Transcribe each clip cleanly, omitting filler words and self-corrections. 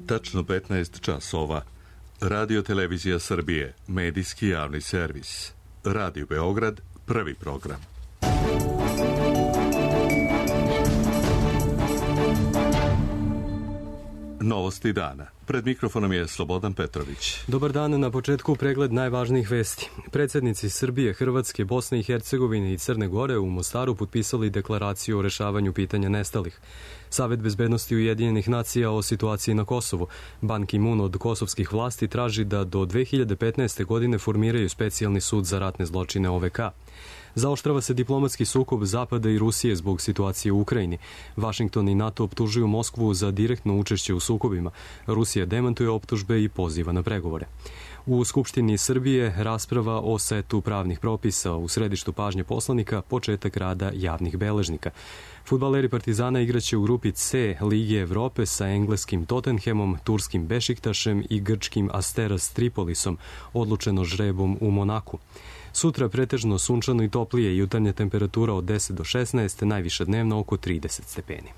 Tačno 15 časova. Radio Televizija Srbije, medijski javni servis. Radio Beograd, prvi program. Novosti dana. Pred mikrofonom je Slobodan Petrović. Dobar dan, na početku pregled najvažnijih vesti. Predsjednici Srbije, Hrvatske, Bosne i Hercegovine i Crne Gore u Mostaru potpisali deklaraciju o rešavanju pitanja nestalih. Savet bezbednosti Ujedinjenih nacija o situaciji na Kosovu. Ban Ki-moon od kosovskih vlasti traži da do 2015. godine formiraju specijalni sud za ratne zločine OVK. Zaoštrava se diplomatski sukob Zapada i Rusije zbog situacije u Ukrajini. Vašington i NATO optužuju Moskvu za direktno učešće u sukobima. Rusija demantuje optužbe i poziva na pregovore. U Skupštini Srbije rasprava o setu pravnih propisa, u središtu pažnje poslanika početak rada javnih beležnika. Fudbaleri Partizana igraće u grupi C Lige Evrope sa engleskim Tottenhamom, turskim Bešiktašem i grčkim Asteras Tripolisom, odlučeno žrebom u Monaku. Sutra pretežno sunčano i toplije, jutarnja temperatura od 10 do 16, najviša dnevno oko 30 stepeni.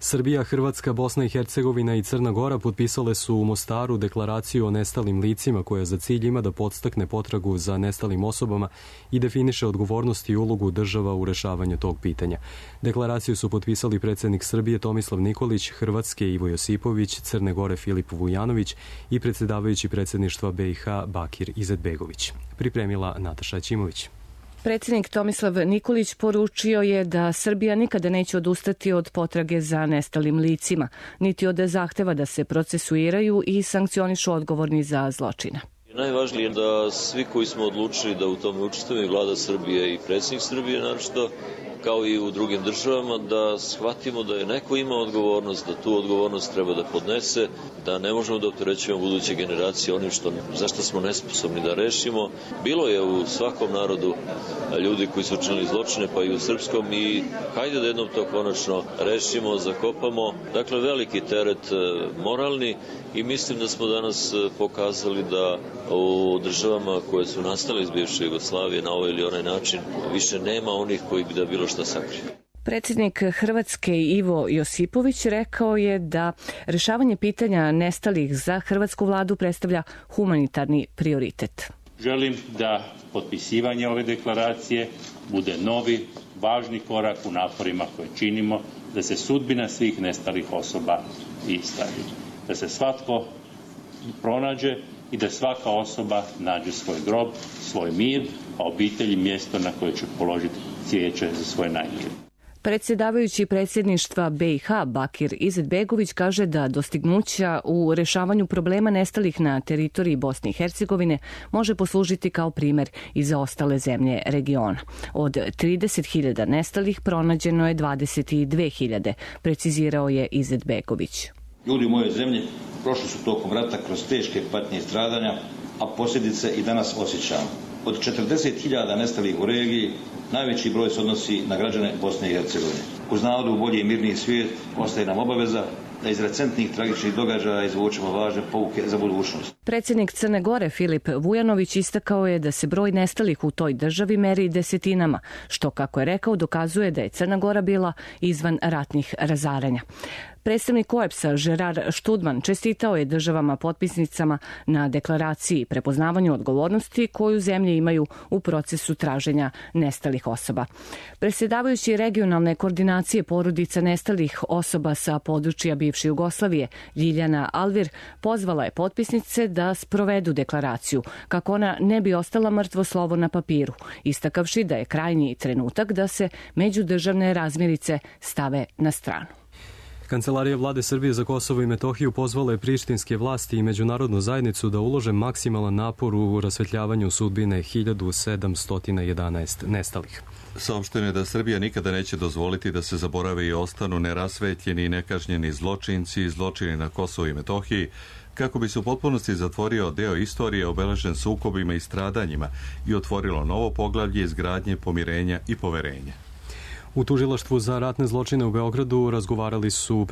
Srbija, Hrvatska, Bosna i Hercegovina i Crna Gora potpisale su u Mostaru deklaraciju o nestalim licima koja za cilj ima da podstakne potragu za nestalim osobama i definiše odgovornost i ulogu država u rešavanju tog pitanja. Deklaraciju su potpisali predsjednik Srbije Tomislav Nikolić, Hrvatske Ivo Josipović, Crne Gore Filip Vujanović i predsjedavajući predsjedništva BiH Bakir Izetbegović. Pripremila Nataša Ćimović. Predsjednik Tomislav Nikolić poručio je da Srbija nikada neće odustati od potrage za nestalim licima, niti od zahteva da se procesuiraju i sankcionišu odgovorni za zločine. Najvažnije je da svi koji smo odlučili da u tome učestvujemo, i vlada Srbije i predsjednik Srbije naročito, kao i u drugim državama, da shvatimo da je neko ima odgovornost, da tu odgovornost treba da podnese, da ne možemo da opterećujemo buduće generacije onim zašto smo nesposobni da rešimo. Bilo je u svakom narodu ljudi koji su učinili zločine, pa i u srpskom, i hajde da jednom to konačno rešimo, zakopamo. Dakle, veliki teret moralni, i mislim da smo danas pokazali da u državama koje su nastale iz bivše Jugoslavije na ovaj ili onaj način više nema onih koji bi da bilo šta sakriju. Predsjednik Hrvatske Ivo Josipović rekao je da rešavanje pitanja nestalih za hrvatsku vladu predstavlja humanitarni prioritet. Želim da potpisivanje ove deklaracije bude novi, važni korak u naporima koje činimo da se sudbina svih nestalih osoba ispravi. Da se svatko pronađe i da svaka osoba nađe svoj grob, svoj mir, a obitelji mjesto na koje će položiti cvijeće za svoje najmilije. Predsjedavajući predsjedništva BiH Bakir Izetbegović kaže da dostignuća u rešavanju problema nestalih na teritoriji Bosne i Hercegovine može poslužiti kao primjer i za ostale zemlje regiona. Od 30.000 nestalih pronađeno je 22.000, precizirao je Izetbegović. Ljudi u mojoj zemlji prošli su tokom rata kroz teške patnje i stradanja, a posljedice i danas osjećamo. Od 40.000 nestalih u regiji, najveći broj se odnosi na građane Bosne i Hercegovine. Uz nadu u bolji i mirniji svijet ostaje nam obaveza da iz recentnih tragičnih događaja izvučemo važne pouke za budućnost. Predsjednik Crne Gore Filip Vujanović istakao je da se broj nestalih u toj državi meri desetinama, što, kako je rekao, dokazuje da je Crna Gora bila izvan ratnih razaranja. Predstavnik OEBS-a Žerar Študman čestitao je državama potpisnicama na deklaraciji prepoznavanju odgovornosti koju zemlje imaju u procesu traženja nestalih osoba. Predsjedavajući regionalne koordinacije porodica nestalih osoba sa područja bivše Jugoslavije Ljiljana Alvir pozvala je potpisnice da sprovedu deklaraciju kako ona ne bi ostala mrtvo slovo na papiru, istakavši da je krajnji trenutak da se međudržavne razmirice stave na stranu. Kancelarija vlade Srbije za Kosovo i Metohiju pozvala je prištinske vlasti i međunarodnu zajednicu da ulože maksimalan napor u rasvetljavanju sudbine 1711 nestalih. Saopšteno je da Srbija nikada neće dozvoliti da se zaborave i ostanu nerasvetljeni i nekažnjeni zločinci i zločini na Kosovu i Metohiji, kako bi se u potpunosti zatvorio deo istorije obeležen sukobima i stradanjima i otvorilo novo poglavlje izgradnje, pomirenja i poverenja. U tužilaštvu za ratne zločine u Beogradu razgovarali su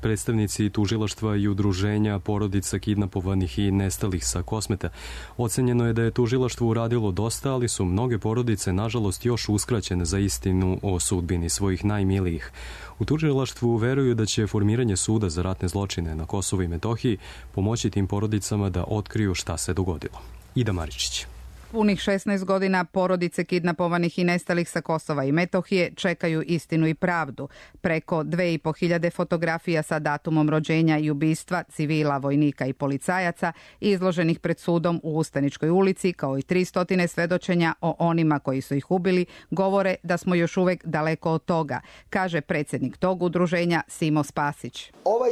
predstavnici tužilaštva i udruženja porodica kidnapovanih i nestalih sa Kosmeta. Ocenjeno je da je tužilaštvo uradilo dosta, ali su mnoge porodice nažalost još uskraćene za istinu o sudbini svojih najmilijih. U tužilaštvu veruju da će formiranje suda za ratne zločine na Kosovu i Metohiji pomoći tim porodicama da otkriju šta se dogodilo. Ida Maričić. Punih 16 godina porodice kidnapovanih i nestalih sa Kosova i Metohije čekaju istinu i pravdu. Preko 2500 fotografija sa datumom rođenja i ubistva civila, vojnika i policajaca izloženih pred sudom u Ustaničkoj ulici, kao i 300 svedočenja o onima koji su ih ubili, govore da smo još uvek daleko od toga, kaže predsjednik tog udruženja Simo Spasić. Ovaj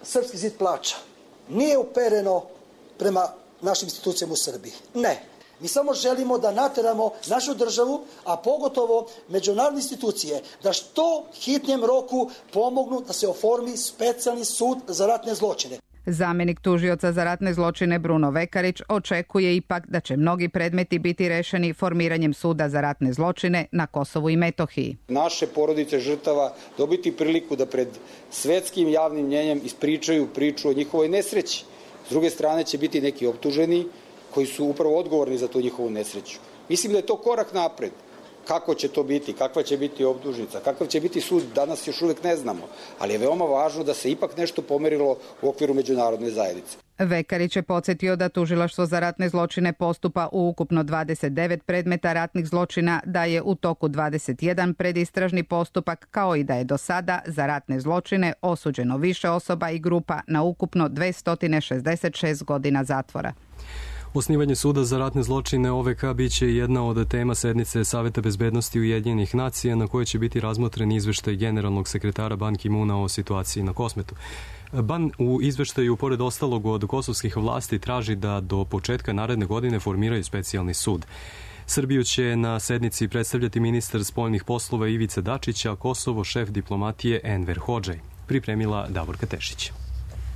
srpski zid plača nije upereno prema našim institucijama u Srbiji. Ne. Mi samo želimo da nateramo našu državu, a pogotovo međunarodne institucije, da što hitnijem roku pomognu da se oformi specijalni sud za ratne zločine. Zamenik tužioca za ratne zločine Bruno Vekarić očekuje ipak da će mnogi predmeti biti rešeni formiranjem suda za ratne zločine na Kosovu i Metohiji. Naše porodice žrtava dobiti priliku da pred svetskim javnim mnjenjem ispričaju priču o njihovoj nesreći. S druge strane će biti neki optuženi koji su upravo odgovorni za tu njihovu nesreću. Mislim da je to korak napred. Kako će to biti, kakva će biti optužnica, kakav će biti sud, danas još uvijek ne znamo, ali je veoma važno da se ipak nešto pomerilo u okviru međunarodne zajednice. Vekarić je podsjetio da tužilaštvo za ratne zločine postupa u ukupno 29 predmeta ratnih zločina, da je u toku 21 predistražni postupak, kao i da je do sada za ratne zločine osuđeno više osoba i grupa na ukupno 266 godina zatvora. Osnivanje suda za ratne zločine OVK biće jedna od tema sednice Saveta bezbednosti Ujedinjenih nacija na kojoj će biti razmotren izveštaj generalnog sekretara Ban Ki-moona o situaciji na Kosmetu. Ban u izveštaju, pored ostalog od kosovskih vlasti, traži da do početka naredne godine formiraju specijalni sud. Srbiju će na sednici predstavljati ministar spoljnih poslova Ivica Dačić, a Kosovo šef diplomatije Enver Hodžaj. Pripremila Davorka Tešić.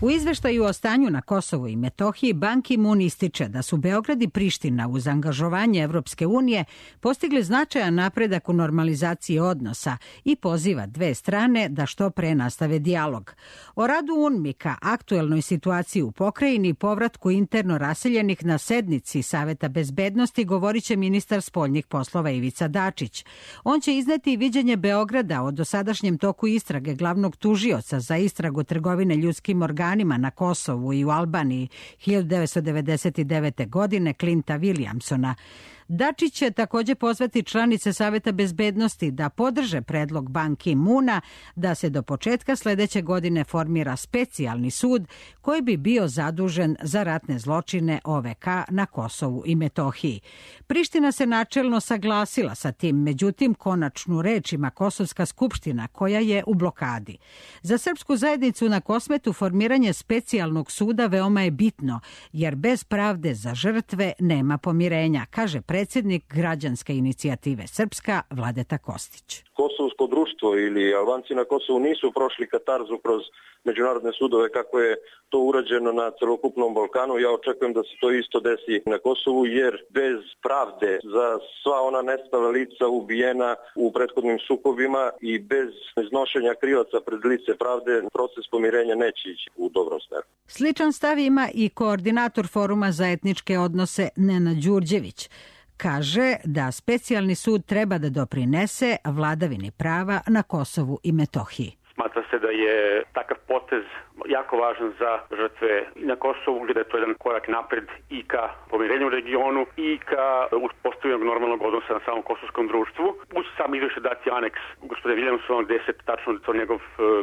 U izveštaju o stanju na Kosovu i Metohiji Ban Ki-moon ističe da su Beograd i Priština uz angažovanje Evropske unije postigli značajan napredak u normalizaciji odnosa i poziva dve strane da što pre nastave dijalog. O radu UNMIK-a, aktuelnoj situaciji u pokrajini i povratku interno raseljenih na sednici Saveta bezbednosti govorit će ministar spoljnih poslova Ivica Dačić. On će izneti viđenje Beograda o dosadašnjem toku istrage glavnog tužioca za istragu trgovine ljudskim organima na Kosovu i u Albaniji 1999. godine Clinta Williamsona. Dačić će također pozvati članice Saveta bezbednosti da podrže predlog Ban Ki-moona da se do početka sledeće godine formira specijalni sud koji bi bio zadužen za ratne zločine OVK na Kosovu i Metohiji. Priština se načelno saglasila sa tim, međutim konačnu reč ima Kosovska skupština koja je u blokadi. Za srpsku zajednicu na Kosmetu formiranje specijalnog suda veoma je bitno, jer bez pravde za žrtve nema pomirenja, kaže predsjednik građanske inicijative Srpska Vladeta Kostić. Kosovsko društvo ili Albanci na Kosovu nisu prošli katarzu kroz međunarodne sudove kako je to urađeno na celokupnom Balkanu. Ja očekujem da se to isto desi na Kosovu, jer bez pravde za sva ona nestala lica ubijena u prethodnim sukobima i bez iznošenja krivaca pred lice pravde proces pomirenja neće ići u dobrom smeru. Sličan stav ima i koordinator Foruma za etničke odnose Nenad Đurđević. Kaže da specijalni sud treba da doprinese vladavini prava na Kosovu i Metohiji. Smatra se da je takav potez jako važan za žrtve na Kosovu, gdje da je to jedan korak napred i ka pomirenju u regionu i ka uspostavljanju normalnog odnosa na samom kosovskom društvu. Uz sam izveštaj dati aneks gospodina Williamsona, gdje se tačno to njegov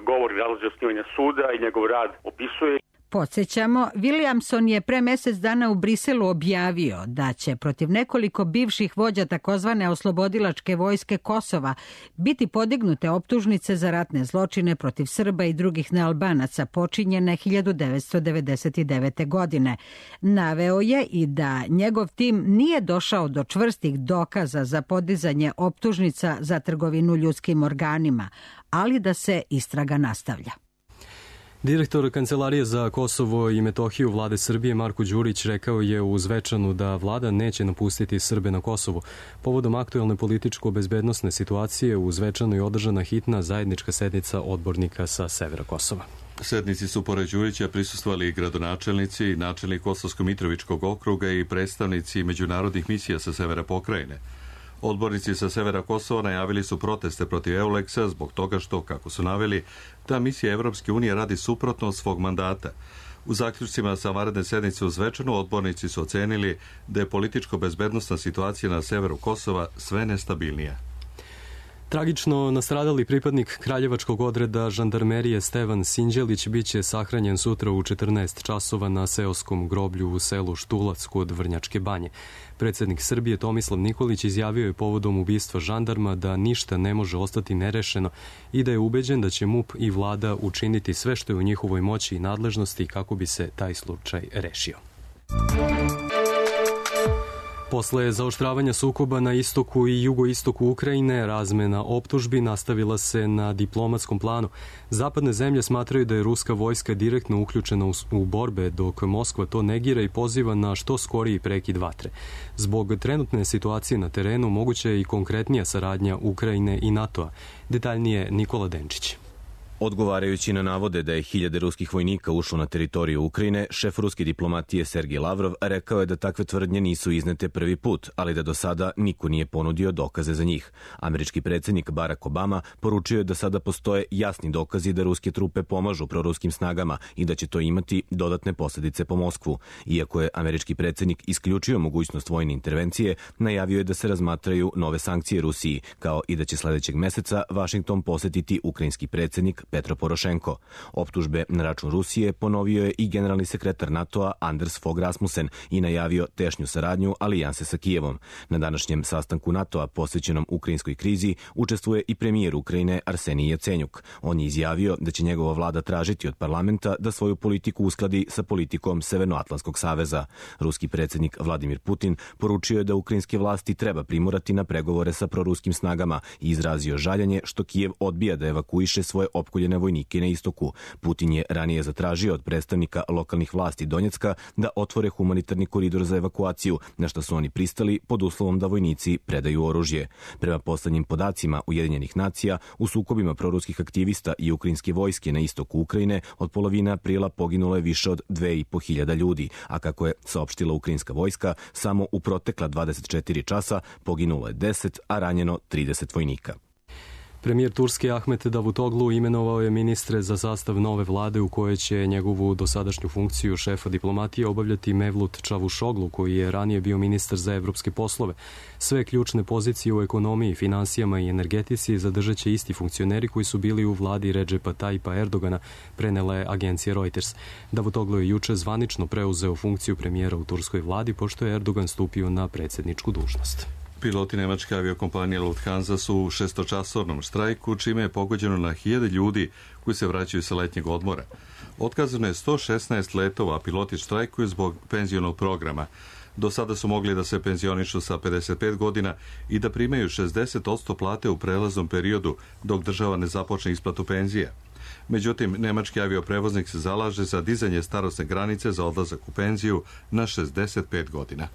govor i razlozi osnivanja suda i njegov rad opisuje. Podsjećamo, Williamson je pre mjesec dana u Briselu objavio da će protiv nekoliko bivših vođa takozvane oslobodilačke vojske Kosova biti podignute optužnice za ratne zločine protiv Srba i drugih nealbanaca počinjene 1999. godine. Naveo je i da njegov tim nije došao do čvrstih dokaza za podizanje optužnica za trgovinu ljudskim organima, ali da se istraga nastavlja. Direktor Kancelarije za Kosovo i Metohiju vlade Srbije Marko Đurić rekao je u Zvečanu da vlada neće napustiti Srbe na Kosovu. Povodom aktuelne političko-bezbednosne situacije u Zvečanu je održana hitna zajednička sednica odbornika sa severa Kosova. Sednici su pored Đurića prisustvovali gradonačelnici, načelnik Kosovsko-Mitrovičkog okruga i predstavnici međunarodnih misija sa severa pokrajine. Odbornici sa severa Kosova najavili su proteste protiv EULEX-a zbog toga što, kako su naveli, ta misija Evropske unije radi suprotno od svog mandata. U zaključcima sa vanredne sednice u Zvečanu odbornici su ocenili da je političko-bezbednosna situacija na severu Kosova sve nestabilnija. Tragično nastradali pripadnik kraljevačkog odreda žandarmerije Stevan Sinđelić biće sahranjen sutra u 14 časova na seoskom groblju u selu Štulac kod Vrnjačke banje. Predsjednik Srbije Tomislav Nikolić izjavio je povodom ubistva žandarma da ništa ne može ostati nerešeno i da je ubeđen da će MUP i vlada učiniti sve što je u njihovoj moći i nadležnosti kako bi se taj slučaj rešio. Posle zaoštravanja sukoba na istoku i jugoistoku Ukrajine, razmena optužbi nastavila se na diplomatskom planu. Zapadne zemlje smatraju da je ruska vojska direktno uključena u borbe, dok Moskva to negira i poziva na što skoriji prekid vatre. Zbog trenutne situacije na terenu moguća je i konkretnija saradnja Ukrajine i NATO-a. Detaljnije Nikola Denčić. Odgovarajući na navode da je 1000 ruskih vojnika ušlo na teritoriju Ukrajine, šef ruske diplomatije Sergej Lavrov rekao je da takve tvrdnje nisu iznete prvi put, ali da do sada niko nije ponudio dokaze za njih. Američki predsjednik Barack Obama poručio je da sada postoje jasni dokazi da ruske trupe pomažu proruskim snagama i da će to imati dodatne posljedice po Moskvu. Iako je američki predsjednik isključio mogućnost vojne intervencije, najavio je da se razmatraju nove sankcije Rusiji, kao i da će sledećeg meseca Vašington posetiti ukrajinski predsjednik Petro Porošenko. Optužbe na račun Rusije ponovio je i generalni sekretar NATO-a Anders Fogh Rasmussen i najavio tešnju saradnju alijanse sa Kijevom. Na današnjem sastanku NATO-a posvećenom ukrajinskoj krizi učestvuje i premijer Ukrajine Arsenij Jacenjuk. On je izjavio da će njegova vlada tražiti od parlamenta da svoju politiku uskladi sa politikom Severnoatlantskog saveza. Ruski predsjednik Vladimir Putin poručio je da ukrajinske vlasti treba primorati na pregovore sa proruskim snagama i izrazio žaljenje što Kijev odbija da evakuiše svoje opkoljene vojnike na istoku. Putin je ranije zatražio od predstavnika lokalnih vlasti Donjecka da otvore humanitarni koridor za evakuaciju, na što su oni pristali pod uslovom da vojnici predaju oružje. Prema poslednjim podacima Ujedinjenih nacija, u sukobima proruskih aktivista i ukrajinske vojske na istoku Ukrajine od polovine aprila poginulo je više od 2500 ljudi, a kako je saopštila ukrajinska vojska, samo u protekla 24 časa poginulo je 10, a ranjeno 30 vojnika. Premijer Turske Ahmet Davutoglu imenovao je ministre za sastav nove vlade u kojoj će njegovu dosadašnju funkciju šefa diplomatije obavljati Mevlut Čavušoglu, koji je ranije bio ministar za evropske poslove. Sve ključne pozicije u ekonomiji, finansijama i energetici zadržat će isti funkcioneri koji su bili u vladi Redžepa Tajipa Erdogana, prenela je agencija Reuters. Davutoglu je juče zvanično preuzeo funkciju premijera u turskoj vladi, pošto je Erdogan stupio na predsjedničku dužnost. Piloti nemačke aviokompanije Lufthansa su u 6-časovnom štrajku, čime je pogođeno na 1000 ljudi koji se vraćaju sa letnjeg odmora. Otkazano je 116 letova, a piloti štrajkuju zbog penzionog programa. Do sada su mogli da se penzionišu sa 55 godina i da primaju 60% plate u prelaznom periodu dok država ne započne isplatu penzija. Međutim, nemački avioprevoznik se zalaže za dizanje starosne granice za odlazak u penziju na 65 godina.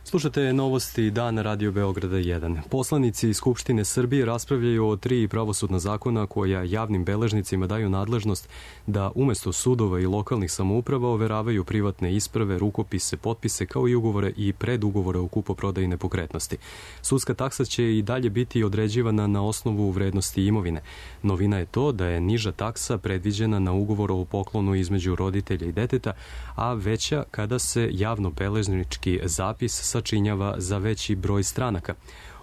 Slušate novosti Dana Radio Beograda 1. Poslanici Skupštine Srbije raspravljaju o 3 pravosudna zakona koja javnim beležnicima daju nadležnost da umesto sudova i lokalnih samouprava overavaju privatne isprave, rukopise, potpise kao i ugovore i predugovore o kupoprodaji nepokretnosti. Sudska taksa će i dalje biti određivana na osnovu vrednosti imovine. Novina je to da je niža taksa predviđena na ugovor o poklonu između roditelja i deteta, a veća kada se javno-beležnički zapis sačinjava za veći broj stranaka.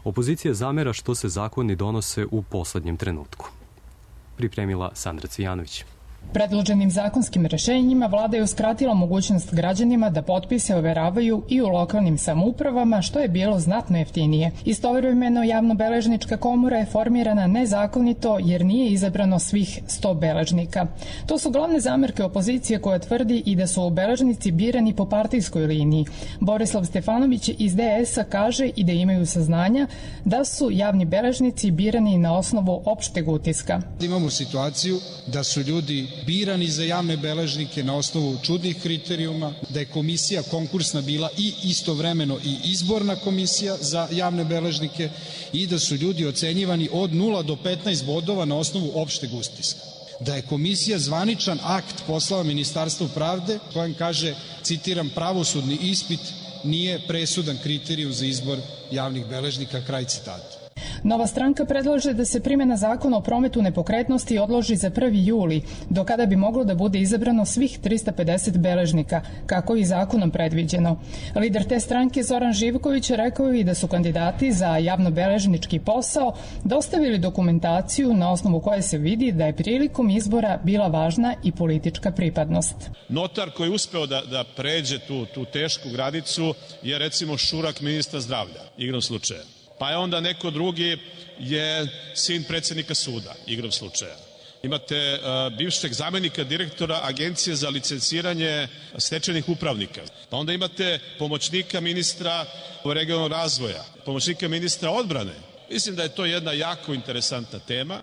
Opozicija zamera što se zakoni donose u poslednjem trenutku. Pripremila Sandra Cvijanović. Predloženim zakonskim rešenjima vlada je uskratila mogućnost građanima da potpise overavaju i u lokalnim samoupravama, što je bilo znatno jeftinije. Istovremeno javno-beležnička komora je formirana nezakonito jer nije izabrano svih 100 beležnika. To su glavne zamerke opozicije koja tvrdi i da su beležnici birani po partijskoj liniji. Borislav Stefanović iz DS-a kaže i da imaju saznanja da su javni beležnici birani na osnovu opšteg utiska. Imamo situaciju da su ljudi birani za javne beležnike na osnovu čudnih kriterijuma, da je komisija konkursna bila i istovremeno i izborna komisija za javne beležnike i da su ljudi ocenjivani od 0 do 15 bodova na osnovu opšteg utiska. Da je komisija zvaničan akt poslala Ministarstvu pravde kojem kaže, citiram, pravosudni ispit nije presudan kriterijum za izbor javnih beležnika, kraj citata. Nova stranka predlaže da se primjena zakona o prometu nepokretnosti odloži za 1. juli, do kada bi moglo da bude izabrano svih 350 beležnika, kako i zakonom predviđeno. Lider te stranke Zoran Živković rekao i da su kandidati za javnobeležnički posao dostavili dokumentaciju na osnovu koje se vidi da je prilikom izbora bila važna i politička pripadnost. Notar koji je uspeo da pređe tu tešku granicu je recimo šurak ministra zdravlja, igrom slučaja. Pa je onda neko drugi je sin predsednika suda, igrom slučaja. Imate bivšeg zamenika direktora Agencije za licenciranje stečajnih upravnika. Pa onda imate pomoćnika ministra regionalnog razvoja, pomoćnika ministra odbrane. Mislim da je to jedna jako interesantna tema.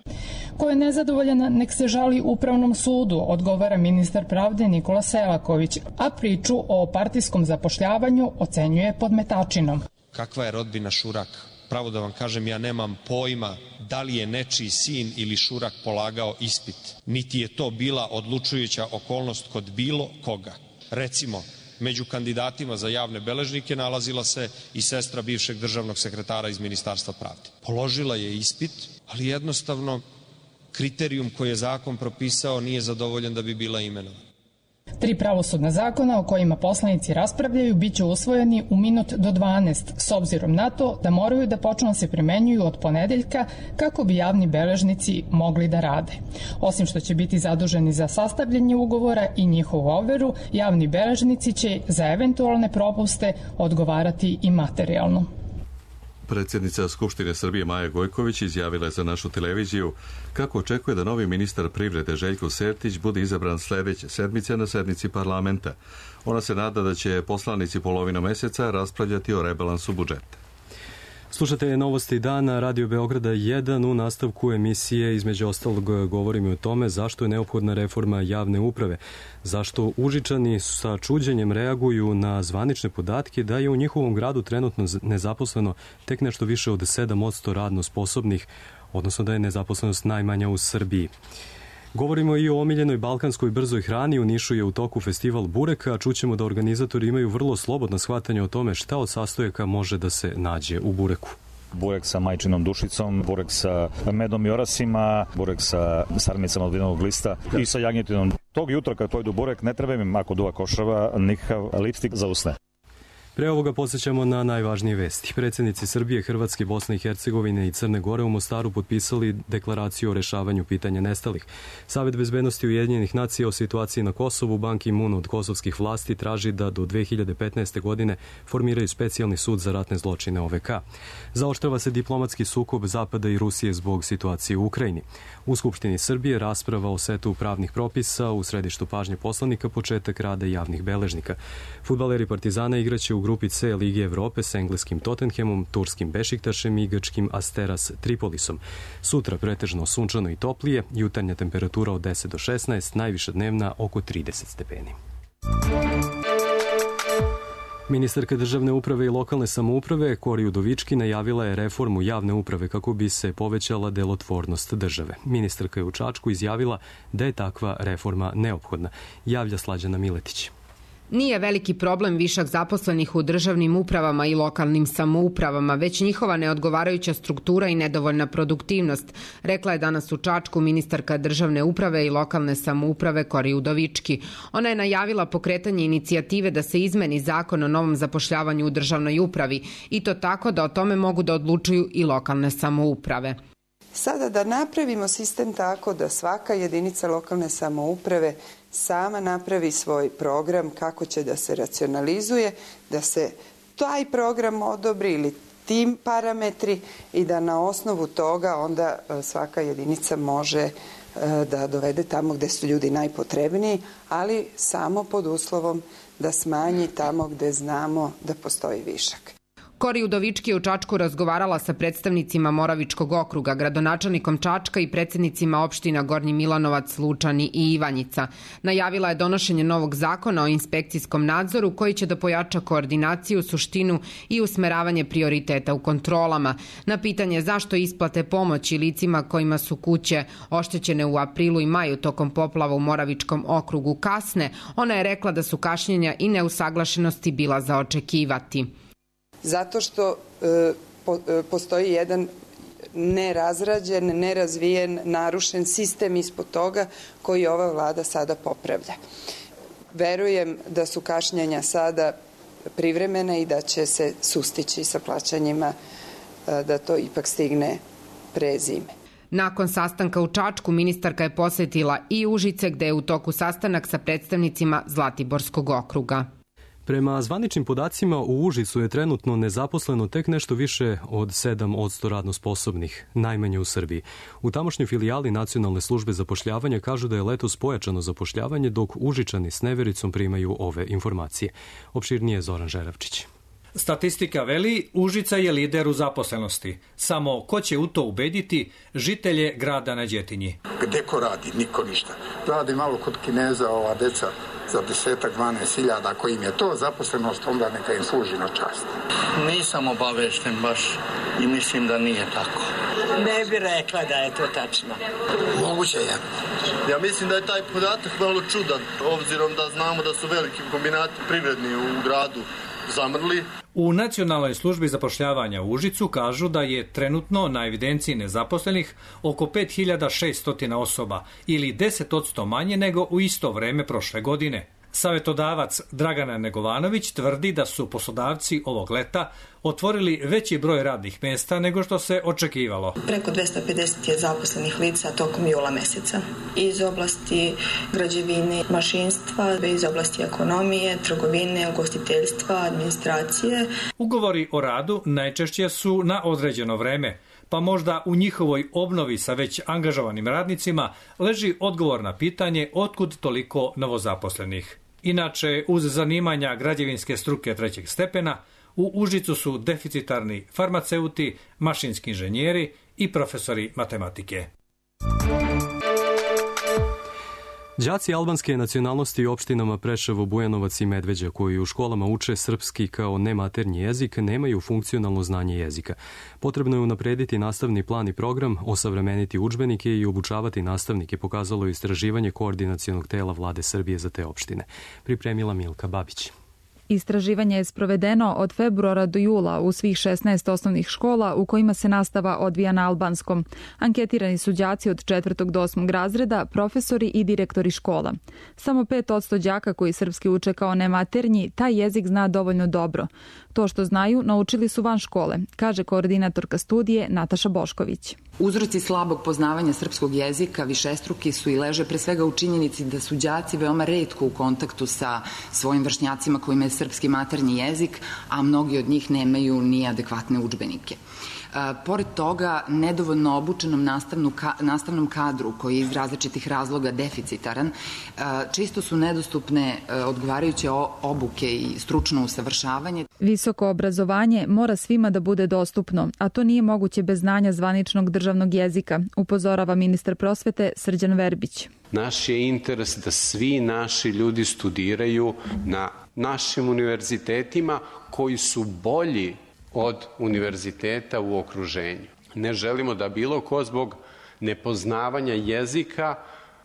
Ko je nezadovoljan, nek se žali Upravnom sudu, odgovara ministar pravde Nikola Selaković, a priču o partijskom zapošljavanju ocenjuje podmetačinom. Kakva je rodbina Šurak? Pravo da vam kažem, ja nemam pojma da li je nečiji sin ili Šurak polagao ispit. Niti je to bila odlučujuća okolnost kod bilo koga. Recimo, među kandidatima za javne beležnike nalazila se i sestra bivšeg državnog sekretara iz Ministarstva pravde. Položila je ispit, ali jednostavno kriterijum koji je zakon propisao nije zadovoljen da bi bila imenovana. 3 pravosudna zakona o kojima poslanici raspravljaju biće usvojeni u minut do 12, s obzirom na to da moraju da počnu se primenjuju od ponedeljka kako bi javni beležnici mogli da rade. Osim što će biti zaduženi za sastavljanje ugovora i njihovu overu, javni beležnici će za eventualne propuste odgovarati i materijalno. Predsjednica Skupštine Srbije Maja Gojković izjavila je za našu televiziju kako očekuje da novi ministar privrede Željko Sertić bude izabran sledeće sedmice na sednici parlamenta. Ona se nada da će poslanici polovinom meseca raspravljati o rebalansu budžeta. Slušate novosti dana Radio Beograda 1. U nastavku emisije između ostalog govorimo o tome zašto je neophodna reforma javne uprave, zašto Užičani sa čuđenjem reaguju na zvanične podatke da je u njihovom gradu trenutno nezaposleno tek nešto više od 7% radno sposobnih, odnosno da je nezaposlenost najmanja u Srbiji. Govorimo i o omiljenoj balkanskoj brzoj hrani. U Nišu je u toku festival bureka, a čućemo da organizatori imaju vrlo slobodno shvatanje o tome šta od sastojaka može da se nađe u bureku. Burek sa majčinom dušicom, burek sa medom i orasima, burek sa sarmicama od vinovog lista i sa jagnjetinom. Tog jutra kad pojedu burek ne treba im, ako duva košava, nikakav lipstik za usne. Pre ovoga podsjećamo na najvažnije vesti. Predsjednici Srbije, Hrvatske, Bosne i Hercegovine i Crne Gore u Mostaru potpisali deklaraciju o rešavanju pitanja nestalih. Savet bezbednosti Ujedinjenih nacija o situaciji na Kosovu, Ban Ki-moon od kosovskih vlasti traži da do 2015. godine formiraju specijalni sud za ratne zločine OVK. Zaoštrava se diplomatski sukob Zapada i Rusije zbog situacije u Ukrajini. U Skupštini Srbije rasprava o setu pravnih propisa, u središtu pažnje poslanika početak rada javnih beležnika. Fudbaleri Partizana igraće u grupi C Lige Evrope s engleskim Tottenhamom, turskim Bešiktašem i grčkim Asteras Tripolisom. Sutra pretežno sunčano i toplije, jutarnja temperatura od 10 do 16, najviša dnevna oko 30 stepeni. Ministarka državne uprave i lokalne samouprave Kori Udovički najavila je reformu javne uprave kako bi se povećala delotvornost države. Ministarka je u Čačku izjavila da je takva reforma neophodna. Javlja Slađana Miletić. Nije veliki problem višak zaposlenih u državnim upravama i lokalnim samoupravama, već njihova neodgovarajuća struktura i nedovoljna produktivnost, rekla je danas u Čačku ministarka državne uprave i lokalne samouprave Kori Udovički. Ona je najavila pokretanje inicijative da se izmeni zakon o novom zapošljavanju u državnoj upravi i to tako da o tome mogu da odlučuju i lokalne samouprave. Sada da napravimo sistem tako da svaka jedinica lokalne samouprave sama napravi svoj program kako će da se racionalizuje, da se taj program odobri ili tim parametri i da na osnovu toga onda svaka jedinica može da dovede tamo gde su ljudi najpotrebniji, ali samo pod uslovom da smanji tamo gde znamo da postoji višak. Kori Udovički je u Čačku razgovarala sa predstavnicima Moravičkog okruga, gradonačelnikom Čačka i predsednicima opština Gornji Milanovac, Lučani i Ivanjica. Najavila je donošenje novog zakona o inspekcijskom nadzoru koji će da pojača koordinaciju, suštinu i usmeravanje prioriteta u kontrolama. Na pitanje zašto isplate pomoći licima kojima su kuće oštećene u aprilu i maju tokom poplava u Moravičkom okrugu kasne, ona je rekla da su kašnjenja i neusaglašenosti bila za očekivati. Zato što postoji jedan nerazrađen, nerazvijen, narušen sistem ispod toga koji ova vlada sada popravlja. Verujem da su kašnjenja sada privremene i da će se sustići sa plaćanjima, da to ipak stigne pre zime. Nakon sastanka u Čačku, ministarka je posetila i Užice, gde je u toku sastanak sa predstavnicima Zlatiborskog okruga. Prema zvaničnim podacima, u Užicu je trenutno nezaposleno tek nešto više od 7% radno sposobnih, najmanje u Srbiji. U tamošnjoj filijali Nacionalne službe zapošljavanja kažu da je letos pojačano zapošljavanje, dok Užičani s nevericom primaju ove informacije. Opširnije je Zoran Žeravčić. Statistika veli, Užica je lider u zaposlenosti. Samo ko će u to ubediti žitelje grada na Đetinji? Gde ko radi? Niko ništa. Radi malo kod Kineza ova deca za 10-12 hiljada. Ako im je to zaposlenost, onda neka im služi na čast. Nisam obavešten baš i mislim da nije tako. Ne bi rekla da je to tačno. Moguće je. Ja mislim da je taj podatak malo čudan, obzirom da znamo da su veliki kombinati privredni u gradu zamrli. U Nacionalnoj službi zapošljavanja u Užicu kažu da je trenutno na evidenciji nezaposlenih oko 5600 osoba ili 10% manje nego u isto vreme prošle godine. Savetodavac Dragana Negovanović tvrdi da su poslodavci ovog leta otvorili veći broj radnih mesta nego što se očekivalo. Preko 250 je zaposlenih lica tokom jula meseca. Iz oblasti građevine, mašinstva, iz oblasti ekonomije, trgovine, ugostiteljstva, administracije. Ugovori o radu najčešće su na određeno vreme, pa možda u njihovoj obnovi sa već angažovanim radnicima leži odgovor na pitanje otkud toliko novozaposlenih. Inače, uz zanimanja građevinske struke trećeg stepena, u Užicu su deficitarni farmaceuti, mašinski inženjeri i profesori matematike. Đaci albanske nacionalnosti u opštinama Preševo, Bujanovac i Medveđa, koji u školama uče srpski kao nematernji jezik, nemaju funkcionalno znanje jezika. Potrebno je unaprediti nastavni plan i program, osavremeniti udžbenike i obučavati nastavnike, pokazalo je istraživanje koordinacionog tela Vlade Srbije za te opštine. Pripremila Milka Babić. Istraživanje je sprovedeno od februara do jula u svih 16 osnovnih škola u kojima se nastava odvija na albanskom. Anketirani su đaci od 4. do 8. razreda, profesori i direktori škola. Samo 5% đaka koji srpski uče kao nematernji taj jezik zna dovoljno dobro. To što znaju naučili su van škole, kaže koordinatorka studije Nataša Bošković. Uzroci slabog poznavanja srpskog jezika višestruki su i leže pre svega u činjenici da su đaci veoma retko u kontaktu sa svojim vršnjacima kojima je srpski maternji jezik, a mnogi od njih nemaju ni adekvatne udžbenike. Pored toga, nedovoljno obučenom nastavnom kadru, koji je iz različitih razloga deficitaran, često su nedostupne odgovarajuće obuke i stručno usavršavanje. Visoko obrazovanje mora svima da bude dostupno, a to nije moguće bez znanja zvaničnog državnog jezika, upozorava ministar prosvete Srđan Verbić. Naš je interes da svi naši ljudi studiraju na našim univerzitetima koji su bolji od univerziteta u okruženju. Ne želimo da bilo ko zbog nepoznavanja jezika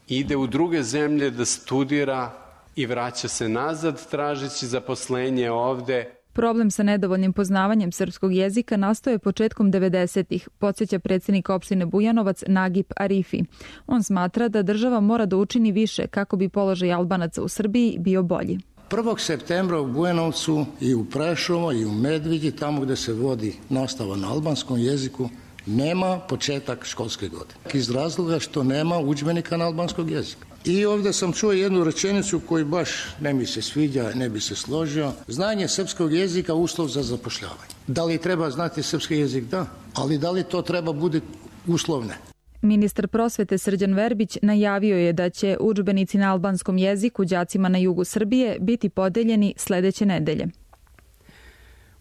ide u druge zemlje da studira i vraća se nazad tražeći zaposlenje ovde. Problem sa nedovoljnim poznavanjem srpskog jezika nastao je početkom 90-ih, podsjeća predsjednik opštine Bujanovac Nagip Arifi. On smatra da država mora da učini više kako bi položaj Albanaca u Srbiji bio bolji. 1. septembra u Bujanovcu i u Prešovu i u Medveđi, tamo gde se vodi nastava na albanskom jeziku, nema početak školske godine. Iz razloga što nema udžbenika na albanskog jezika. I ovde sam čuo jednu rečenicu koju baš ne mi se sviđa, ne bi se složio. Znanje srpskog jezika uslov za zapošljavanje. Da li treba znati srpski jezik? Da. Ali da li to treba bude uslovne? Ministar prosvete Srđan Verbić najavio je da će udžbenici na albanskom jeziku đacima na jugu Srbije biti podeljeni sledeće nedelje.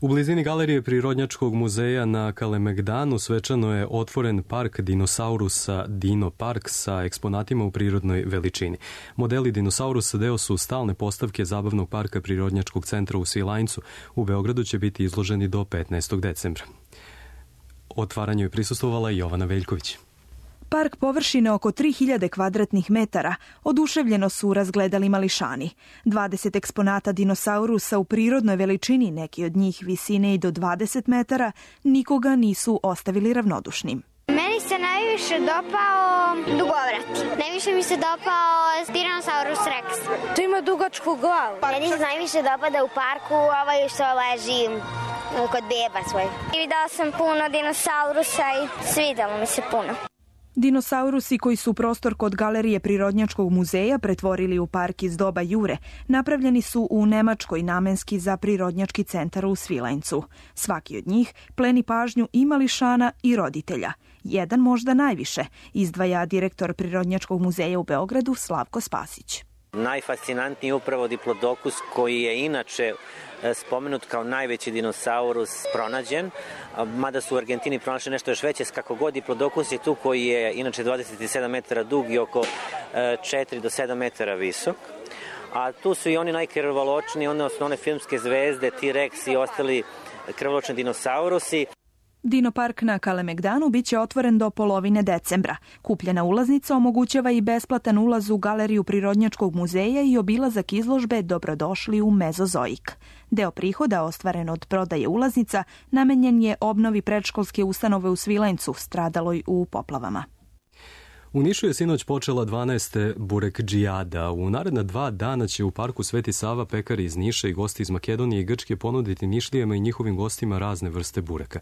U blizini galerije Prirodnjačkog muzeja na Kalemegdanu svečano je otvoren park dinosaurusa Dino Park sa eksponatima u prirodnoj veličini. Modeli dinosaurusa deo su stalne postavke zabavnog parka Prirodnjačkog centra u Svilajncu. U Beogradu će biti izloženi do 15. decembra. Otvaranju je prisustvovala Jovana Veljković. Park površine oko 3000 kvadratnih metara oduševljeno su razgledali mališani. 20 eksponata dinosaurusa u prirodnoj veličini, neki od njih visine i do 20 metara, nikoga nisu ostavili ravnodušnim. Meni se najviše dopao dugovrat. Najviše mi se dopao Tyrannosaurus Rex. To ima dugačku glavu. Meni se najviše dopada u parku što leži kod beba svoj. Videla sam puno dinosaurusa i svidelo mi se puno. Dinosaurusi koji su prostor kod galerije Prirodnjačkog muzeja pretvorili u park iz doba Jure, napravljeni su u Nemačkoj namenski za Prirodnjački centar u Svilajncu. Svaki od njih pleni pažnju i mališana i roditelja. Jedan možda najviše, izdvaja direktor Prirodnjačkog muzeja u Beogradu Slavko Spasić. Najfascinantniji je upravo Diplodocus, koji je inače spomenut kao najveći dinosaurus pronađen, mada su u Argentini pronašli nešto još veće. Kako god Diplodocus je tu, koji je inače 27 metara dug i oko 4 do 7 metara visok. A tu su i oni najkrvoločniji, odnosno one filmske zvezde, T-Rex i ostali krvoločni dinosaurusi. Dino Park na Kalemegdanu biće otvoren do polovine decembra. Kupljena ulaznica omogućava i besplatan ulaz u galeriju Prirodnjačkog muzeja i obilazak izložbe Dobrodošli u Mezozoik. Deo prihoda ostvaren od prodaje ulaznica namenjen je obnovi predškolske ustanove u Svilajncu, stradaloj u poplavama. U Nišu je sinoć počela 12. burekdžijada. U naredna 2 dana će u parku Sveti Sava pekari iz Niša i gosti iz Makedonije i Grčke ponuditi Nišlijama i njihovim gostima razne vrste bureka.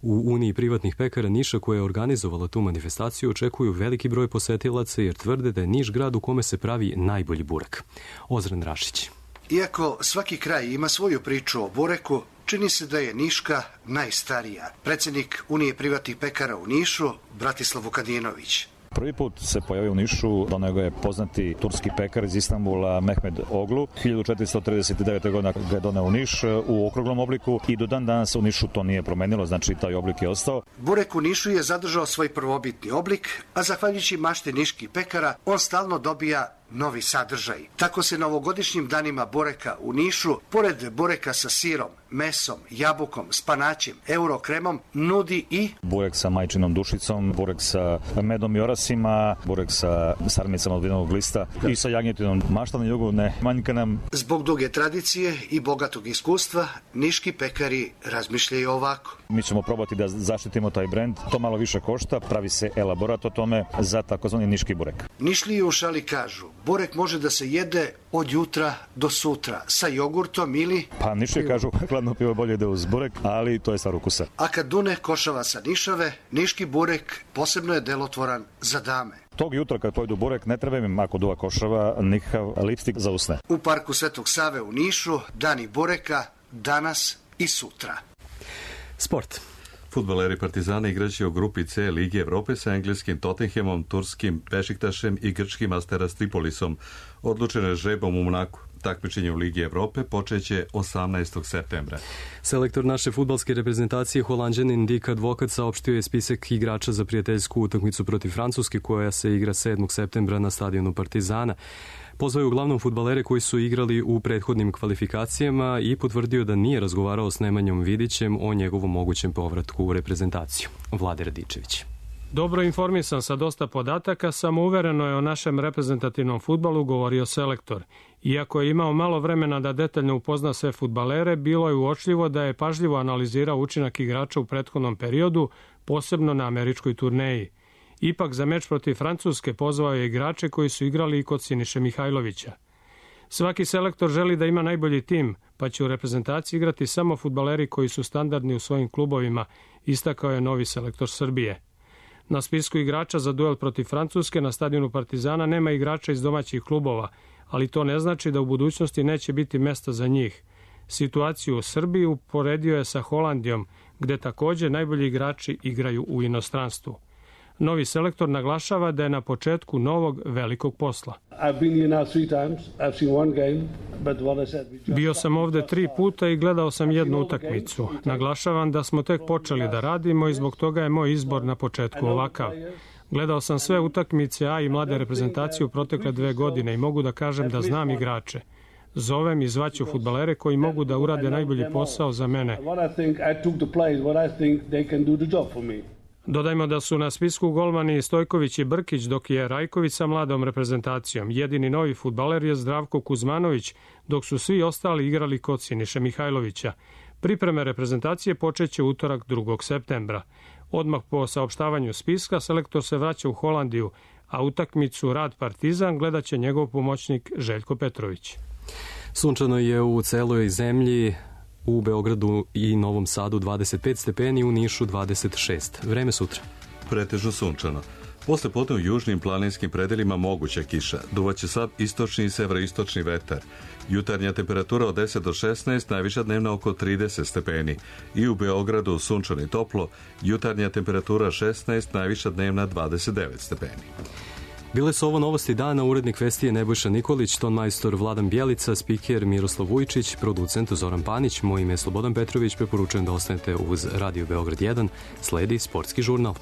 U Uniji privatnih pekara Niša, koja je organizovala tu manifestaciju, očekuju veliki broj posetilaca jer tvrde da je Niš grad u kome se pravi najbolji burek. Ozren Rašić. Iako svaki kraj ima svoju priču o bureku, čini se da je Niška najstarija. Predsjednik Unije privatnih pekara u Nišu, Bratislav Vukadinović. Prvi put se pojavio u Nišu, doneo ga je poznati turski pekar iz Istanbula Mehmed Oglu. 1439. godina ga je doneo u Niš u okruglom obliku i do dan danas u Nišu to nije promenilo, znači taj oblik je ostao. Burek u Nišu je zadržao svoj prvobitni oblik, a zahvaljujući mašti niških pekara, on stalno dobija novi sadržaj. Tako se na ovogodišnjim danima bureka u Nišu, pored bureka sa sirom, mesom, jabukom, spanaćem, eurokremom, nudi i burek sa majčinom dušicom, burek sa medom i orasima, burek sa sarmicama od vinovog lista i sa jagnjetinom. Mašta na jugu ne manjka nam. Zbog duge tradicije i bogatog iskustva, niški pekari razmišljaju ovako. Mi ćemo probati da zaštitimo taj brend. To malo više košta, pravi se elaborat o tome za takozvani niški burek. Nišliji u šali kažu, burek može da se jede od jutra do sutra, sa jogurtom ili... Pa Nišliji kažu, hladno pivo bolje ide uz burek, ali to je stvar ukusa. A kad dune košava sa Nišave, niški burek posebno je delotvoran za dame. Tog jutra kad pojedu burek ne treba im, ako duva košava, nikakav lipstik za usne. U parku Svetog Save u Nišu, dani bureka, danas i sutra. Sport. Fudbaleri Partizana igraće u grupi C Lige Evrope sa engleskim Tottenhamom, turskim Bešiktašem i grčkim Asteras Tripolisom. Odlučeno je žrebom u Monaku. Takmičenje u Ligi Evrope počeće 18. septembra. Selektor naše fudbalske reprezentacije, Holanđanin Dick Advokat, saopštio je spisak igrača za prijateljsku utakmicu protiv Francuske koja se igra 7. septembra na stadionu Partizana. Pozvao je uglavnom fudbalere koji su igrali u prethodnim kvalifikacijama i potvrdio da nije razgovarao s Nemanjom Vidićem o njegovom mogućem povratku u reprezentaciju. Vlade Radičević. Dobro informisan sa dosta podataka, samouvereno je o našem reprezentativnom fudbalu govorio selektor. Iako je imao malo vremena da detaljno upozna sve fudbalere, bilo je uočljivo da je pažljivo analizirao učinak igrača u prethodnom periodu, posebno na američkoj turneji. Ipak za meč protiv Francuske pozvao je igrače koji su igrali i kod Siniše Mihajlovića. Svaki selektor želi da ima najbolji tim, pa će u reprezentaciji igrati samo fudbaleri koji su standardni u svojim klubovima, istakao je novi selektor Srbije. Na spisku igrača za duel protiv Francuske na stadionu Partizana nema igrača iz domaćih klubova, ali to ne znači da u budućnosti neće biti mesta za njih. Situaciju u Srbiji uporedio je sa Holandijom, gde također najbolji igrači igraju u inostranstvu. Novi selektor naglašava da je na početku novog velikog posla. Bio sam ovde 3 puta i gledao sam jednu utakmicu. Naglašavam da smo tek počeli da radimo i zbog toga je moj izbor na početku ovakav. Gledao sam sve utakmice A i mlade reprezentacije u protekle 2 godine i mogu da kažem da znam igrače. Zovem i zvaću fudbalere koji mogu da urade najbolji posao za mene. Dodajmo da su na spisku golmani Stojković i Brkić, dok je Rajković sa mladom reprezentacijom. Jedini novi fudbaler je Zdravko Kuzmanović, dok su svi ostali igrali kod Siniše Mihajlovića. Pripreme reprezentacije počeće utorak 2. septembra. Odmah po saopštavanju spiska selektor se vraća u Holandiju, a utakmicu Rad Partizan gledat će njegov pomoćnik Željko Petrović. Sunčano je u celoj zemlji, u Beogradu i Novom Sadu 25 stepeni, u Nišu 26. Vreme sutra. Pretežno sunčano. Posle podne u južnim planinskim predelima moguća kiša. Duvaće slab istočni i severoistočni vetar. Jutarnja temperatura od 10 do 16, najviša dnevna oko 30 stepeni. I u Beogradu sunčano i toplo, jutarnja temperatura 16, najviša dnevna 29 stepeni. Bile su ovo novosti dana, urednik vesti Nebojša Nikolić, tonmajstor Vladan Bjelica, spiker Miroslav Vujčić, producent Zoran Panić, moje ime je Slobodan Petrović, preporučujem da ostanete uz Radio Beograd 1, sledi sportski žurnal.